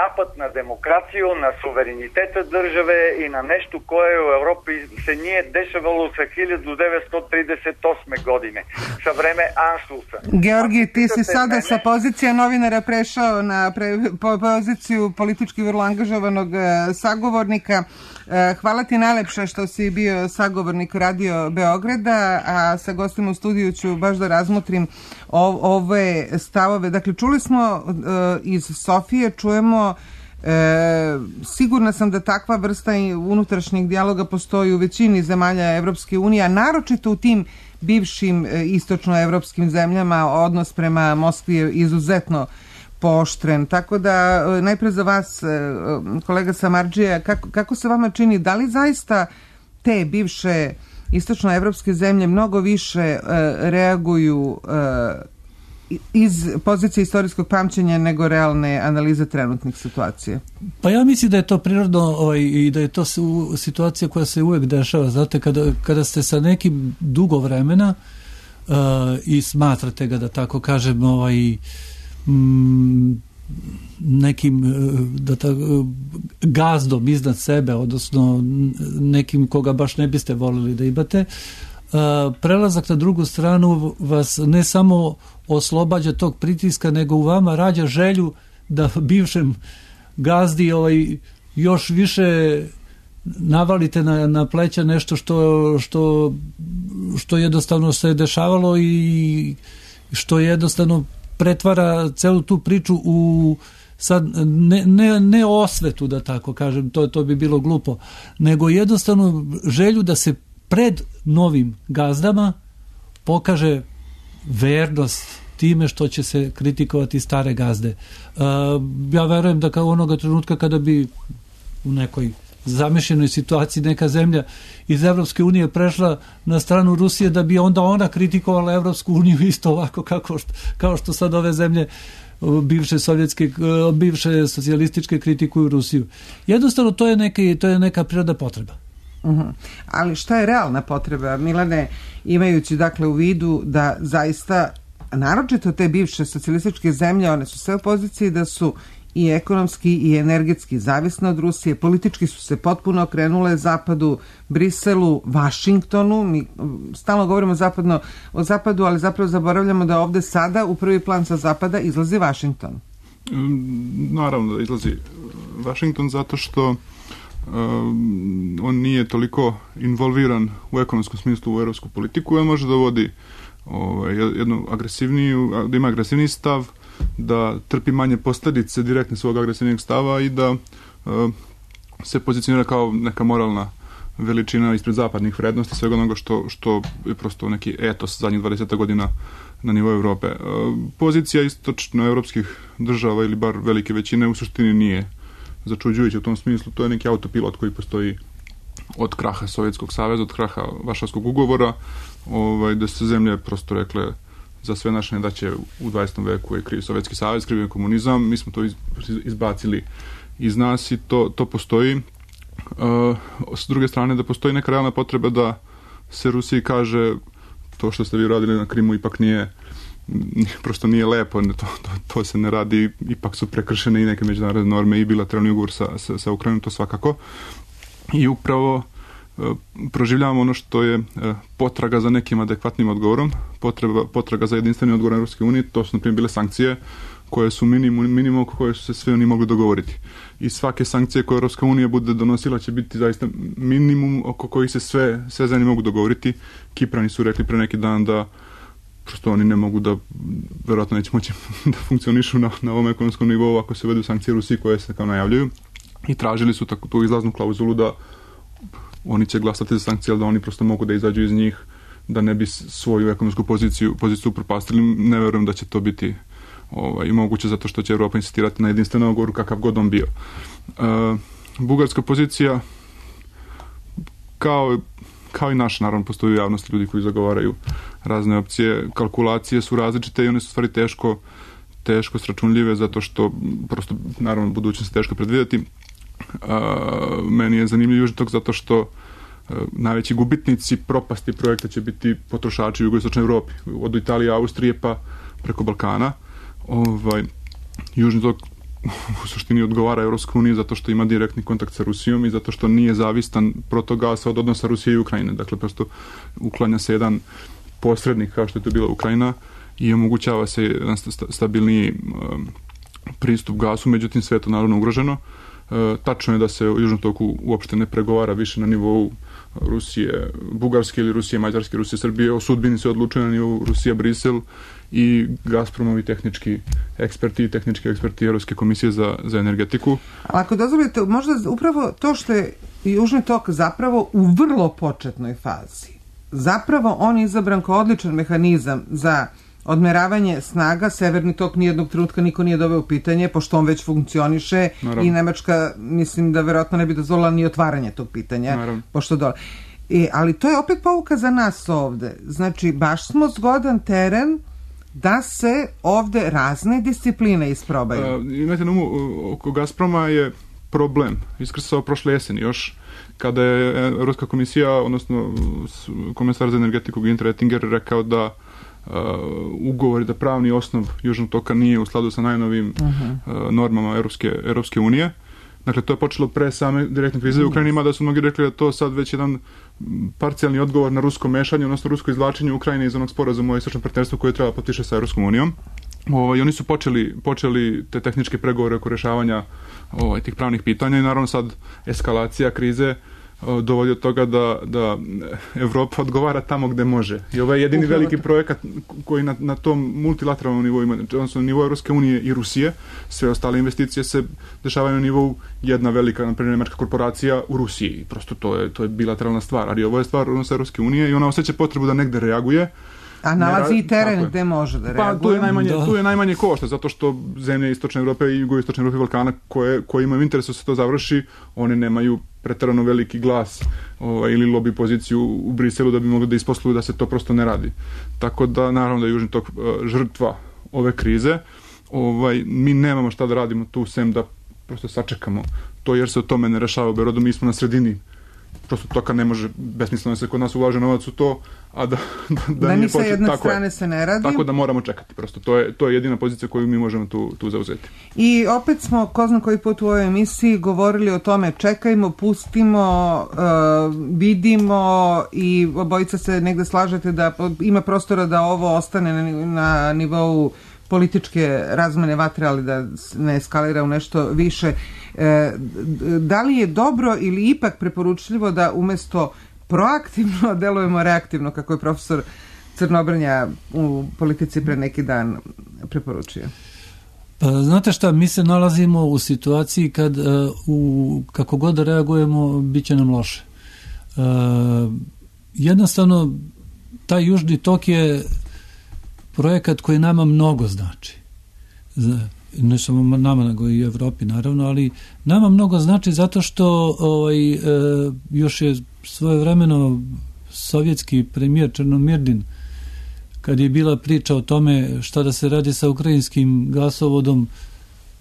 napad na demokraciju, na suvereniteta države i na nešto koje u Evropi se nije dešavalo sa 1938. godine, sa vreme Anšlusa. Georgi, ti si sada sa pozicija novinara prešao na poziciju politički vrlo angažovanog sagovornika. Hvala ti najlepše što si bio sagovornik Radio Beograda, a sa gostima u studiju ću baš da razmotrim ove stavove. Dakle, čuli smo iz Sofije, čujemo, sigurna sam da takva vrsta unutrašnjeg dijaloga postoji u većini zemalja Evropske unije, a naročito u tim bivšim istočnoevropskim zemljama odnos prema Moskvi je izuzetno pooštren. Tako da, najpre za vas, kolega Samardžija, kako se vama čini, da li zaista te bivše istočnoevropske zemlje mnogo više reaguju iz pozicije istorijskog pamćenja nego realne analize trenutnih situacija? Pa ja mislim da je to prirodno i da je to situacija koja se uvek dešava. Znate, kada ste sa nekim dugo vremena i smatrate ga, da tako kažem, nekim gazdom iznad sebe, odnosno nekim koga baš ne biste volili da imate, prelazak na drugu stranu vas ne samo oslobađa tog pritiska, nego u vama rađa želju da bivšem gazdi još više navalite na pleća nešto što jednostavno se dešavalo i što jednostavno pretvara celu tu priču u sad ne osvetu, da tako kažem, to bi bilo glupo, nego jednostavno želju da se pred novim gazdama pokaže vernost time što će se kritikovati stare gazde. Ja verujem da kao onoga trenutka kada bi u nekoj zamišljenoj situaciji neka zemlja iz Evropske unije prešla na stranu Rusije, da bi onda ona kritikovala Evropsku uniju isto ovako kao što sad ove zemlje bivše socijalističke kritikuju Rusiju. Jednostavno to je neka prirodna potreba. Ali šta je realna potreba, Milane, imajući dakle u vidu da zaista naročito te bivše socijalističke zemlje, one su sve u poziciji da su i ekonomski i energetski zavisne od Rusije, politički su se potpuno okrenule zapadu, Briselu, Vašingtonu. Mi stalno govorimo o zapadu, ali zapravo zaboravljamo da ovde sada u prvi plan sa zapada izlazi Vašington. Naravno da izlazi Vašington zato što on nije toliko involviran u ekonomskom smislu u evropsku politiku, on može da vodi jednu agresivniju, da ima agresivniji stav, da trpi manje posljedice direktne svog agresivnog stava i da se pozicionira kao neka moralna veličina ispred zapadnih vrednosti, svega onoga što je prosto neki etos zadnjih 20 godina na nivou Evrope. Pozicija istočnoevropskih država ili bar velike većine u suštini začuđujuće u tom smislu. To je neki autopilot koji postoji od kraha Sovjetskog saveza, od kraha Varšavskog ugovora, da se zemlje prosto rekle za sve naše nedaće u 20. veku je kriv Sovjetski savez, kriv je komunizam, mi smo to izbacili iz nas i to postoji. S druge strane, da postoji neka realna potreba da se Rusiji kaže to što ste vi radili na Krimu ipak prosto nije lepo, to se ne radi, ipak su prekršene i neke međunarodne norme i bilateralni ugovor sa Ukrajinom, to svakako. I upravo proživljavamo ono što je potraga za nekim adekvatnim odgovorom, potraga za jedinstvenim odgovorom Europske unije, to su na primjer bile sankcije koje su minimum oko koje su se sve oni mogli dogovoriti. I svake sankcije koje Europska unija bude donosila će biti zaista minimum oko kojih se sve zemlje mogu dogovoriti. Kiprani su rekli pre neki dan da prosto oni ne mogu da, verovatno neće moći da funkcionišu na ovom ekonomskom nivou ako se uvedu sankcije Rusiji koje se kao najavljuju. I tražili su tu izlaznu klauzulu da oni će glasati za sankcije, ali da oni prosto mogu da izađu iz njih, da ne bi svoju ekonomsku poziciju propastili. Ne verujem da će to biti i moguće, zato što će Evropa insistirati na jedinstvenom odgovoru kakav god on bio. Bugarska pozicija, kao i naša, naravno postoji u javnosti ljudi koji zagovaraju razne opcije, kalkulacije su različite i one su stvari teško sračunljive, zato što prosto, naravno, budućnost je teško predvidjeti. Meni je zanimljiv Južni tok zato što najveći gubitnici propasti projekta će biti potrošači u jugoistočnoj Evropi, od Italije, Austrije pa preko Balkana. Južni tok u suštini odgovara Evropskoj uniji zato što ima direktni kontakt sa Rusijom i zato što nije zavistan protogasa od odnosa Rusije i Ukrajine. Dakle, prosto uklanja se jedan posrednik kao što je to bila Ukrajina i omogućava se jedan stabilniji pristup gasu, međutim sve je to naravno ugroženo. Tačno je da se u Južnom toku uopšte ne pregovara više na nivou Rusije, Bugarske ili Rusije, Mađarske, Rusije, Srbije. O sudbini se odlučuje na nivou Rusija, Brisel i Gazpromovi tehnički eksperti i tehnički eksperti Europske komisije za energetiku. Ako dozvolite, možda upravo to što je Južni tok zapravo u vrlo početnoj fazi, zapravo on je izabran kao odličan mehanizam za odmeravanje snaga. Severni tok nijednog trenutka niko nije doveo u pitanje, pošto on već funkcioniše. Naravno. I Nemačka, mislim da verovatno ne bi dozvolila ni otvaranje tog pitanja. Naravno. Pošto dole. Ali to je opet pouka za nas ovde. Znači, baš smo zgodan teren da se ovde razne discipline isprobaju. Imajte na umu, oko Gazproma je problem iskrsao prošle jeseni još, kada je Europska komisija, odnosno komesar za energetiku Günther Oettinger rekao da ugovori, da pravni osnov Južnog toka nije u skladu sa najnovim normama Europske unije. Dakle, to je počelo pre same direktne krize u Ukrajini, ima da su mnogi rekli da to sad već jedan parcijalni odgovor na rusko mešanje, odnosno rusko izvlačenje Ukrajine iz onog sporazuma o istočnom partnerstvu koje treba potpiše sa Europskom unijom. I oni su počeli te tehničke pregovore oko rešavanja tih pravnih pitanja i naravno sad eskalacija krize dovodi od toga da Evropa odgovara tamo gde može. I ovo je jedini veliki projekat koji na tom multilateralnom nivou ima, odnosno na nivou Europske unije i Rusije. Sve ostale investicije se dešavaju na nivou jedna velika, naprimjer, nemačka korporacija u Rusiji. Prosto to je bilateralna stvar, ali ovo je stvar odnosa Europske unije i ona osjeća potrebu da negde reaguje. A nalazi i teren gde može da reaguje. Pa tu je najmanje košta, zato što zemlje Istočne Evrope i Jugoistočne Evrope i Balkana koje imaju interes da se to završi, one nemaju preterano veliki glas ili lobby poziciju u Briselu da bi mogli da isposluju da se to prosto ne radi. Tako da, naravno da je Južni tok žrtva ove krize. Mi nemamo šta da radimo tu, sem da prosto sačekamo to, jer se o tome ne rešava u Beorodu. Mi smo na sredini prosto toka, ne može, besmisleno se kod nas ulaže novac u to, a da ni sa jedne strane se ne radi. Tako da moramo čekati. Prosto to je jedina pozicija koju mi možemo tu zauzeti. I opet smo, ko zna koji put u ovoj emisiji, govorili o tome čekajmo, pustimo, vidimo i obojica se negde slažete da ima prostora da ovo ostane na nivou političke razmene vatre, ali da ne eskalira u nešto više. Da li je dobro ili ipak preporučljivo da umesto proaktivno delujemo reaktivno, kako je profesor Crnobrnja u Politici pre neki dan preporučio? Znate šta, mi se nalazimo u situaciji kad kako god da reagujemo, bit će nam loše. Jednostavno, taj Južni tok je projekat koji nama mnogo znači. ne samo nama nego i Evropi naravno, ali nama mnogo znači zato što još je svojevremeno sovjetski premijer Černomirdin, kad je bila priča o tome šta da se radi sa ukrajinskim gasovodom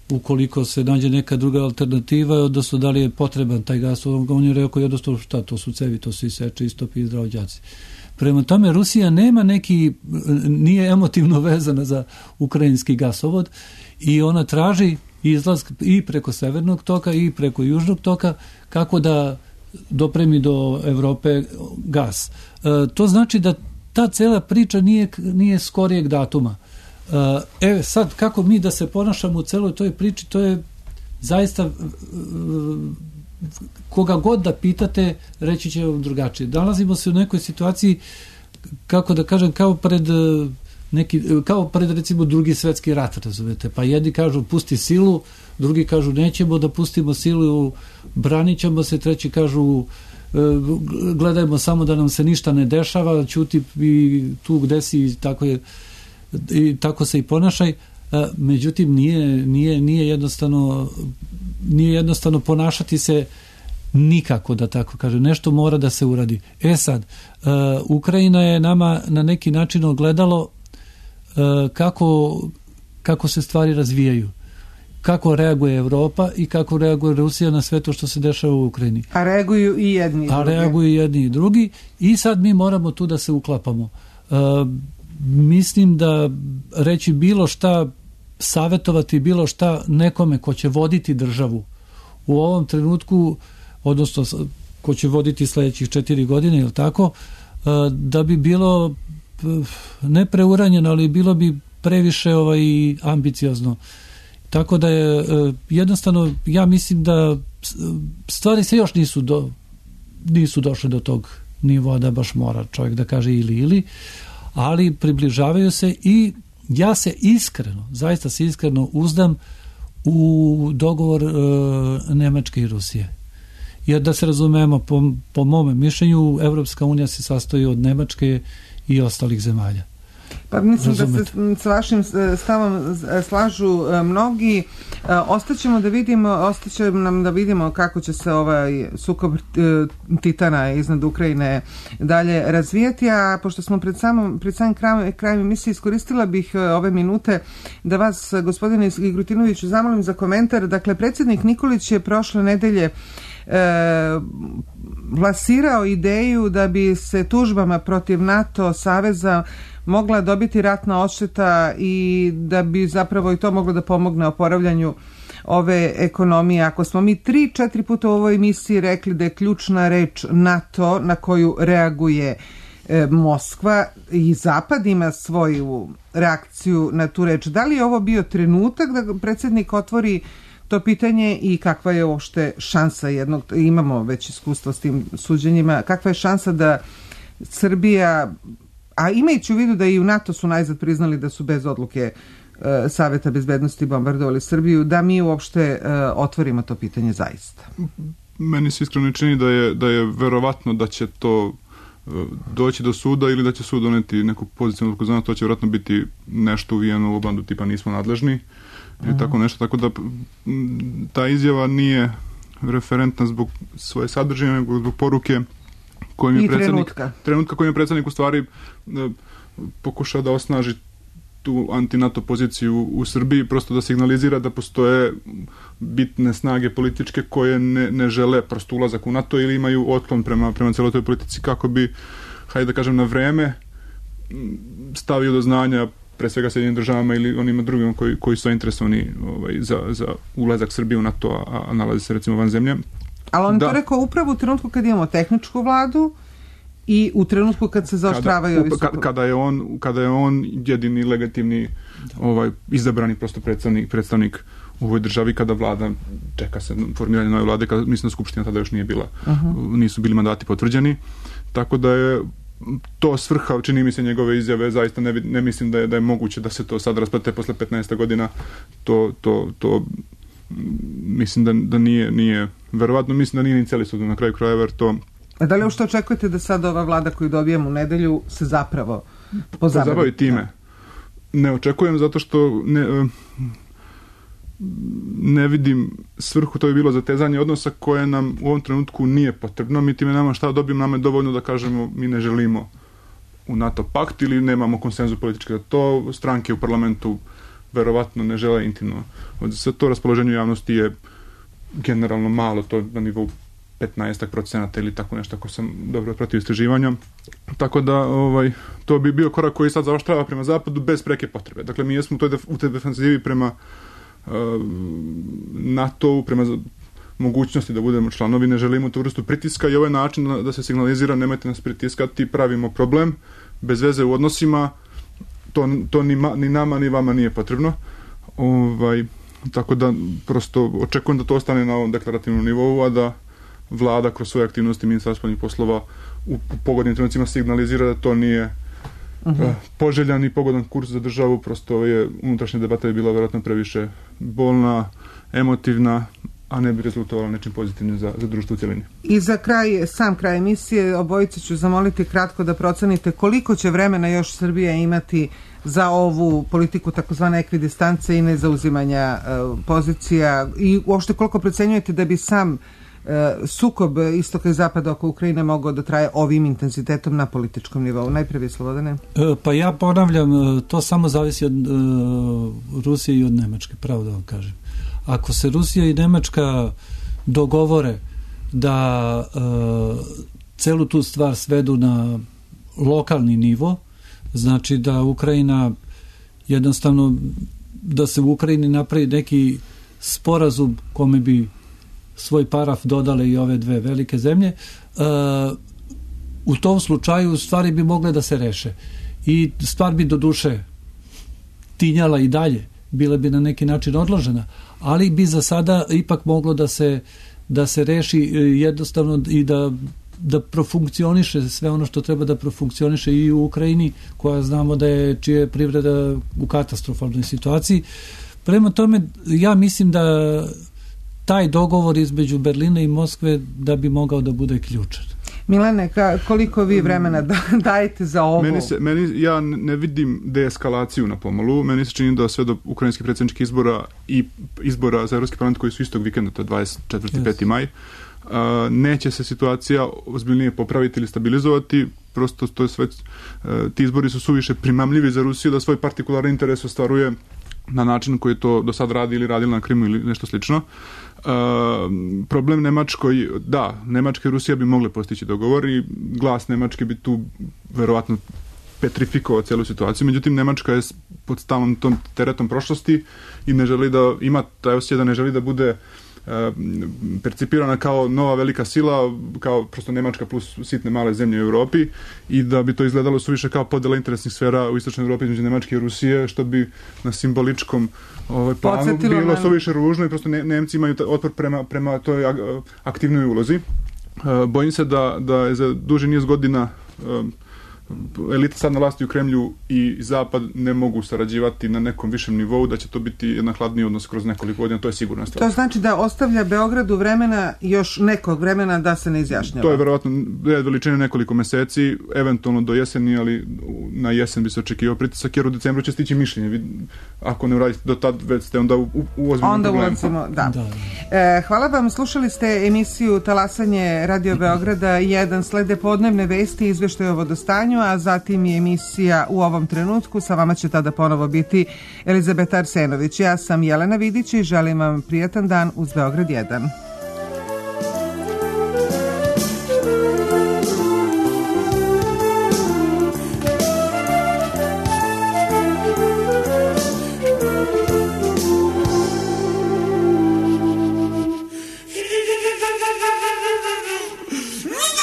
ukoliko se nađe neka druga alternativa, odnosno da li je potreban taj gasovod, on je rekao jednostavno šta, to su cevi, to se iseče, istopi i zdravođaci. Prema tome, Rusija nema nije emotivno vezana za ukrajinski gasovod i ona traži izlaz i preko severnog toka i preko južnog toka kako da dopremi do Evrope gas. To znači da ta cela priča nije skorijeg datuma. Sad, kako mi da se ponašamo u celoj toj priči, to je zaista koga god da pitate, reći će vam drugačije. Nalazimo se u nekoj situaciji, kako da kažem, kao pred recimo drugi svetski rat, razumete, pa jedni kažu pusti silu, drugi kažu nećemo da pustimo silu, branit ćemo se, treći kažu gledajmo samo da nam se ništa ne dešava, ćuti i tu gde si, tako se i ponašaj. Međutim, nije jednostavno ponašati se nikako, da tako kažem, nešto mora da se uradi. Sad, Ukrajina je nama na neki način ogledalo kako se stvari razvijaju, kako reaguje Evropa i kako reaguje Rusija na sve to što se dešava u Ukrajini. A reaguju i jedni i drugi. I sad mi moramo tu da se uklapamo. Mislim da reći bilo šta, savjetovati bilo šta nekome ko će voditi državu u ovom trenutku, odnosno ko će voditi sljedećih 4 godine, ili tako, da bi bilo ne preuranjeno, ali bilo bi previše ambiciozno. Tako da je jednostavno, ja mislim da stvari se još nisu došle do tog nivoa da baš mora čovjek da kaže ili, ali približavaju se i ja se zaista se iskreno uzdam u dogovor Nemačke i Rusije. Jer da se razumemo, po mome mišljenju, Evropska unija se sastoji od Nemačke i ostalih zemalja. Pa mislim da se s vašim stavom slažu mnogi. Ostaće nam da vidimo kako će se ovaj sukob titana iznad Ukrajine dalje razvijati, a pošto smo pred samim krajem emisije, iskoristila bih ove minute da vas, gospodine Igrutinoviću, zamolim za komentar. Dakle, predsjednik Nikolić je prošle nedelje plasirao ideju da bi se tužbama protiv NATO saveza mogla dobiti ratna odšteta i da bi zapravo i to moglo da pomogne oporavljanju ove ekonomije. Ako smo mi 3-4 puta u ovoj emisiji rekli da je ključna reč NATO na koju reaguje Moskva i Zapad ima svoju reakciju na tu reč, da li je ovo bio trenutak da predsjednik otvori to pitanje i kakva je uopšte šansa imamo već iskustvo s tim suđenjima, kakva je šansa da Srbija, a imajući u vidu da i u NATO su najzad priznali da su bez odluke Saveta bezbednosti bombardovali Srbiju, da mi uopšte otvorimo to pitanje zaista? Meni se iskreno čini da je verovatno da će to doći do suda ili da će sud doneti neku pozitivnu odluku. Znam, to će vjerojatno biti nešto uvijeno u obandu tipa nismo nadležni ili tako nešto, tako da ta izjava nije referentna zbog svoje sadržine, nego zbog poruke kojim je trenutka kojim je predsjednik u stvari pokušao da osnaži tu anti-NATO poziciju u Srbiji, prosto da signalizira da postoje bitne snage političke koje ne žele prosto ulazak u NATO ili imaju otklon prema celoj toj politici, kako bi, hajde da kažem, na vreme stavio do znanja pre svega Sjedinjenim državama ili onima drugima koji su interesovani za ulazak Srbije u NATO, a nalazi se recimo van zemlje. Ali on to rekao upravo u trenutku kad imamo tehničku vladu i u trenutku kad se zaoštravaju ovi sukobi. Kada je on jedini legitimni izabrani prosto predstavnik u ovoj državi, kada vlada čeka se formiranje nove vlade, kada mislim da Skupština tada još nije bila, nisu bili mandati potvrđeni, tako da je to svrha, čini mi se, njegove izjave. Zaista ne mislim da je moguće da se to sad rasplete posle 15 godina. To mislim da nije verovatno, mislim da nije ni cijeli sud na kraju krajeva, jer to... A da li što očekujete da sad ova vlada koju dobijemo u nedelju se zapravo pozabavi time? Ne očekujem, zato što ne vidim svrhu, to je bilo zatezanje odnosa koje nam u ovom trenutku nije potrebno. Mi time nama šta dobijemo, nam je dovoljno da kažemo mi ne želimo u NATO pakt ili nemamo konsenzus politički. To stranke u parlamentu verovatno ne žele intimno. Sve to raspoloženje javnosti je generalno malo, to na nivou 15% ili tako nešto, ako sam dobro pratio istraživanja. Tako da to bi bio korak koji sad zaoštrava prema zapadu bez preke potrebe. Dakle, mi jesmo u toj defensivi prema NATO-u, prema mogućnosti da budemo članovi, ne želimo tu vrstu pritiska i ovaj način da se signalizira nemojte nas pritiskati, pravimo problem, bez veze u odnosima, to ni nama ni vama nije potrebno. Tako da prosto očekujem da to ostane na ovom deklarativnom nivou, a da vlada kroz svoje aktivnosti Ministarstva spoljnih poslova u pogodnim trenucima signalizira da to nije poželjan i pogodan kurs za državu, prosto je unutrašnja debata je bila vjerojatno previše bolna, emotivna, a ne bi rezultovala nečim pozitivnim za društvo u cjelini. I za sam kraj emisije, obojice ću zamoliti kratko da procenite koliko će vremena još Srbija imati za ovu politiku takozvane ekvidistance i nezauzimanja pozicija i uopšte koliko procenjujete da bi sam sukob istoka i zapada oko Ukrajine mogao da traje ovim intenzitetom na političkom nivou. Najprije Slobodane. Pa ja ponavljam, to samo zavisi od Rusije i od Nemačke, pravo da vam kažem. Ako se Rusija i Nemačka dogovore da celu tu stvar svedu na lokalni nivo, znači da Ukrajina jednostavno da se u Ukrajini napravi neki sporazum kome bi svoj paraf dodale i ove dve velike zemlje, u tom slučaju stvari bi mogle da se reše i stvar bi do duše tinjala i dalje, bila bi na neki način odložena, ali bi za sada ipak moglo da se reši jednostavno i da profunkcioniše sve ono što treba da profunkcioniše i u Ukrajini, koja znamo da je čija je privreda u katastrofalnoj situaciji. Prema tome, ja mislim da taj dogovor između Berlina i Moskve da bi mogao da bude ključan. Milane, koliko vi vremena dajete za ovo? Ja ne vidim deeskalaciju na pomolu. Meni se čini da sve do ukrajinskih predsjedničkih izbora i izbora za Evropski parlament koji su istog vikenda, to je 24. 5. maj, neće se situacija ozbiljnije popraviti ili stabilizovati. Prosto to je sve, ti izbori su suviše primamljivi za Rusiju da svoj partikularni interes ostvaruje na način koji to do sad radi ili radila na Krimu ili nešto slično. Problem Nemačkoj, da, Nemačka i Rusija bi mogle postići dogovor i glas Nemačke bi tu verovatno petrifikovao cijelu situaciju, međutim Nemačka je pod stalnom tom teretom prošlosti i ne želi da ima taj osjećaj da ne želi da bude percipirana kao nova velika sila, kao prosto Nemačka plus sitne male zemlje u Europi i da bi to izgledalo suviše kao podjela interesnih sfera u istočnoj Europi između Nemačke i Rusije, što bi na simboličkom planu bilo suviše ružno i prosto Nemci imaju otpor prema toj aktivnoj ulozi. Bojim se da je za duži niz godina elita sad na vlasti u Kremlju i Zapad ne mogu sarađivati na nekom višem nivou, da će to biti jedan hladniji odnos kroz nekoliko godina, to je sigurna stvar. To znači da ostavlja Beogradu vremena, još nekog vremena da se ne izjašnjava? To je verovatno veličine nekoliko meseci, eventualno do jeseni, ali na jesen bi se očekivao pritisak, jer u decembru će stići mišljenje. Ako ne uradite do tad, već ste onda u ozbiljnom problemu. Da. Hvala vam, slušali ste emisiju Talasanje Radio Beograda 1, slede podnevne vesti, izveštaj o vodostanju, a zatim je emisija U ovom trenutku. Sa vama će tada ponovo biti Elizabeta Arsenović. Ja sam Jelena Vidić i želim vam prijatan dan uz Beograd 1. No!